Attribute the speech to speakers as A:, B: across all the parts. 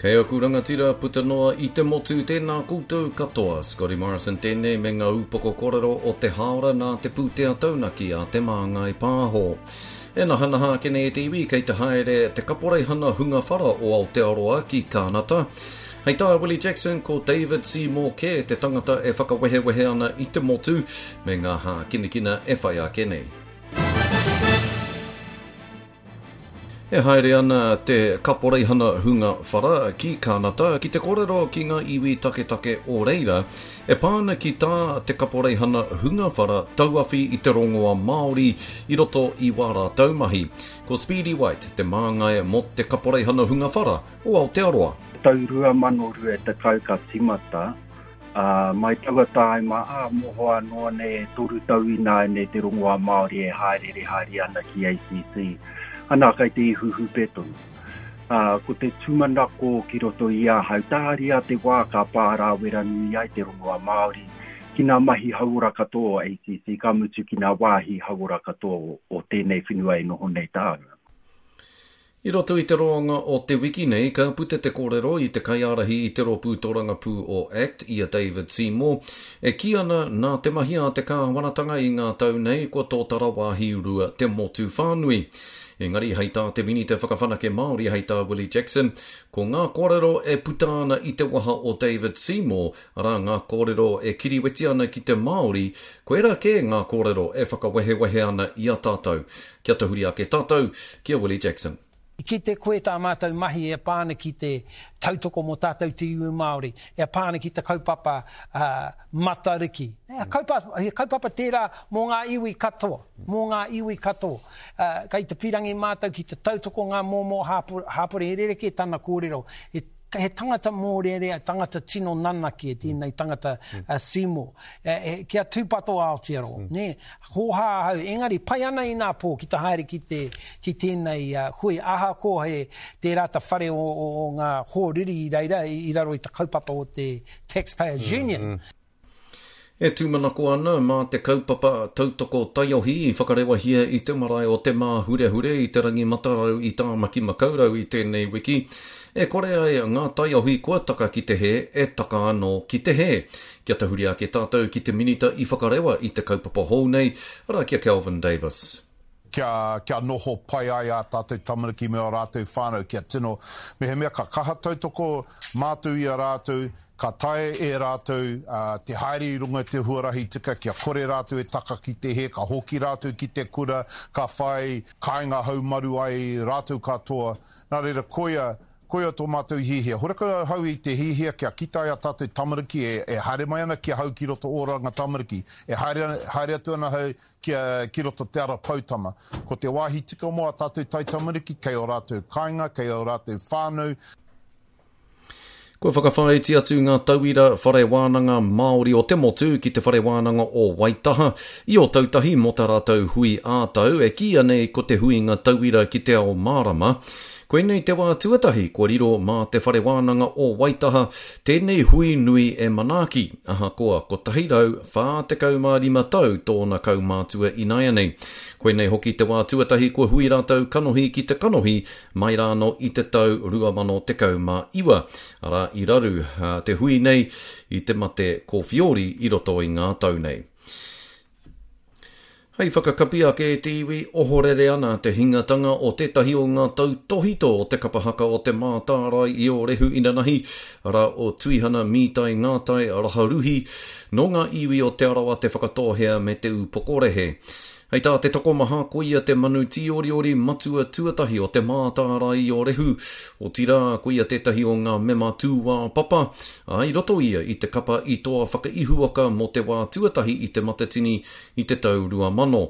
A: Kei aku rangatira puta noa i te motu tēnā koutou katoa. Scotty Morrison tēnei me ngā upoko kōrero o te hāora nā te pūtea taunaki a Te Māngai Pāho. E nahanaha ake nei e te iwi kei te haere te kaporeihana hunga whara o Aotearoa ki Kānata. Hei tā Willie Jackson ko David Seymour kē te tangata e whakawehewehe ana i te motu me ngā hākinakina e whai ake nei. E haere ana te Kaporeihana Hunga Whara ki Kānata ki te kōrero ki ngā iwi taketake o reira e pā ana ki tā te Kaporeihana Hunga Whara tauawhi i te rongoa Māori i roto i wā rātou mahi. Ko Speedy White te māngai mō te Kaporeihana Hunga Whara o Aotearoa.
B: Tau 2020 ka timata Ā, mai taua tāima, ā, mohoa noa nei e toru tau ināianei te rongoā Māori e hāereere haere ana ki ACC. Anā, kai te ihu hūpē tonu. Ā, ko te tūmanako ki roto i ahau, tāria te wā ka pārāwera nui ai te rongoā Māori ki ngā mahi hauora katoa o ACC, ka mutu ki ngā wāhi hauora katoa o tēnei whenua e noho nei tāua.
A: I roto i te roanga o te wiki nei, ka puta te kōrero i te kaiārahi i te rōpū tōrangapū o act, i a David Seymour, e kī ana nā te mahi a te kāwanatanga i ngā tau nei kua tōtara wāhi rua te motu whānui. Engari, hei tā te Minita Whakawhanake Māori, hei tā Willie Jackson, ko ngā kōrero e puta ana i te waha o David Seymour, arā ngā kōrero e kiriweti ana ki te Māori, koirā kē ngā kōrero e whakawehewehe ana i a tātou. Kia tahuri ake tātou ki a Willie Jackson.
C: I kite koe tā mātou mahi e pā ana ki te tautoko mō tātou te iwi Māori, e pā ana ki te kaupapa Matariki. He kaupapa, he kaupapa tērā mō ngā iwi katoa, mō ngā iwi katoa. Kei te pīrangi mātou ki te tautoko ngā momo hāpori, he rerekē tana kōrero. He he tangata mōrearea, tangata tino nanakia tēnei tangata a Seymour. Kia tūpato a Aotearoa, nē? Hōhā ahau, engari pai ana inā pō ki te haere ki te, ki tēnei hui, ahakoa he tērā ta whare o, o, o ngā hōriri i reira, i, i raro i te kaupapa o te Taxpayers Union.
A: E tūmanako ana mā te kaupapa tautoko taiohi i whakarewahia i te marae o Te Māhurehure i Te Rangi Matarau i Tāmaki Makaurau i tēnei wiki, e kore ai ngā taiohi kua taka ki te hē e taka anō ki te hē. Kia tahuri ake tātou ki te Minita i whakarewa i te kaupapa hou nei, arā ki a Kelvin Davis.
D: Kia, kia noho pai ai ā tātou tamariki me ō rātou whānau, kia tino, mehemea ka kaha tautoko mātou i a rātou, ka taea e rātou te haere i runga i te huarahi tika, kia kore rātou e taka ki te hē, ka hoki rātou ki te kura, ka whai kāinga haumaru ai rātou katoa. Nā reira, koia, koia tō mātou hiahia. Horekau ahau i te hiahia kia kite ai ā tātou tamariki e, e haere mai ana ki ahau ki roto Oranga Tamariki, e haere, haere atu ana ahau kia, ki roto Te Ara Poutama. Ko te wāhi tika mō ā tātou taitamariki, kei ō rātou kāinga, kei ō rātou whānau.
A: Kua whakawhāiti atu ngā tauira whare wānanga Māori o te motu ki te Whare Wānanga o Waitaha i Ōtautahi mō tā rātou hui ā-tau e kīia nei ko te Huinga Tauira ki te Ao Mārama. Koinei te wā tuatahi kua riro mā te Whare Wānanga o Waitaha tēnei hui nui e manaaki, ahakoa 145 tau tōna kaumātua ināianei. Koinei hoki te wā tuatahi kua hui rātou kanohi ki te kanohi mai rānō i te tau 2019, arā, i raru te hui nei i te mate kōwhiori i roto i ngā tau nei. Hei whakakapi ake e te iwi, ohorere ana te hingatanga o tētahi o ngā tautōhito o te kapa haka o Te Mātārae i Ōrehu inanahi, arā, o Tuihana Mītai Ngātai Raharuhi, nō ngā iwi o Te Arawa, Te Whakatōhea me Te Ūpokorehe. Hei tā te tokomaha, koia te manu tīoriori matua tuatahi o Te Mātārae i Ōrehu, otirā, koia tētahi o ngā mema tūāpapa, ā, i roto ia i te kapa i toa whakaihuwaka mō te wā tuatahi i Te Matatini i te tau 2000.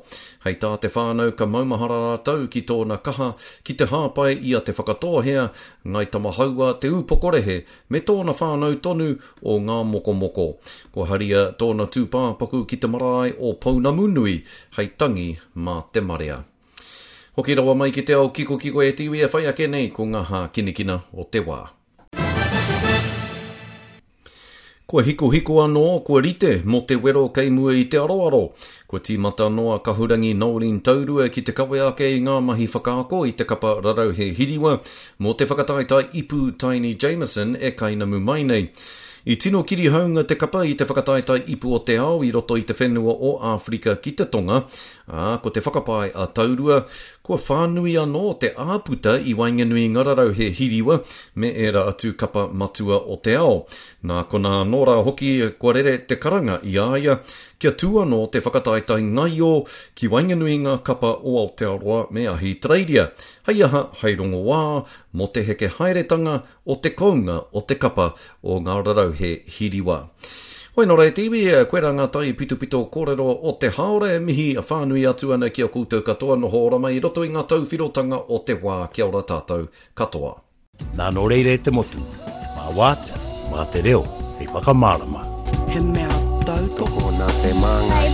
A: Hei tā te whānau ka maumahara rātou ki tōna kaha ki te hāpai i a Te Whakatōhea, Ngāi Tamahaua, Te Ūpokorehe me tōna whānau tonu o ngā mokomoko. Kua haria tōna tūpāpaku ki te marae o Pounamunui hei tangi mā te marea. Hoki rawa mai ki te ao kikokiko e te iwi e whai ake nei ko ngā hākinakina o te wā. Kua hikohiko anō, kua rite mō te wero kei mua i te aroaro. Kua tīmata anō a Kahurangi Noeline Taurua ki te kawe ake i ngā mahi whakaako i te kapa Rarauhe Hiriwa mō te whakataetae ipu Taini Jamison e kainamu mai nei. I tino kirihaunga te kapa i te whakataetae ipu o te ao i roto i te whenua o Āwherika ki te Tonga, ā, ko te whakapae a Taurua, kua whānui anō te āputa i waenganui i ngā rarauhe hiriwa me ērā atu kapa matua o te ao. Nā konā anō rā hoki kua rere te karanga i a ia kia tū anō te whakataetae ngaio ki waenganui i ngā kapa o Aotearoa me Ahitereiria, hei aha, hei rongoā mō te heke haeretanga o te kounga o te kapa o ngā rarauhe hiriwa. Hoi nō reira te iwi, koirā ngā taipitopito kōrero o te hāora e mihi whānui atu ana ki a koutou katoa noho ora mai i roto i ngā tauwhirotanga o te wā. Kia ora tātou katoa.
E: Nā nō reira e te motu, mā Wātea, mā te reo hei whakamārama.
F: He mea tautoko.
G: Nā te māngai.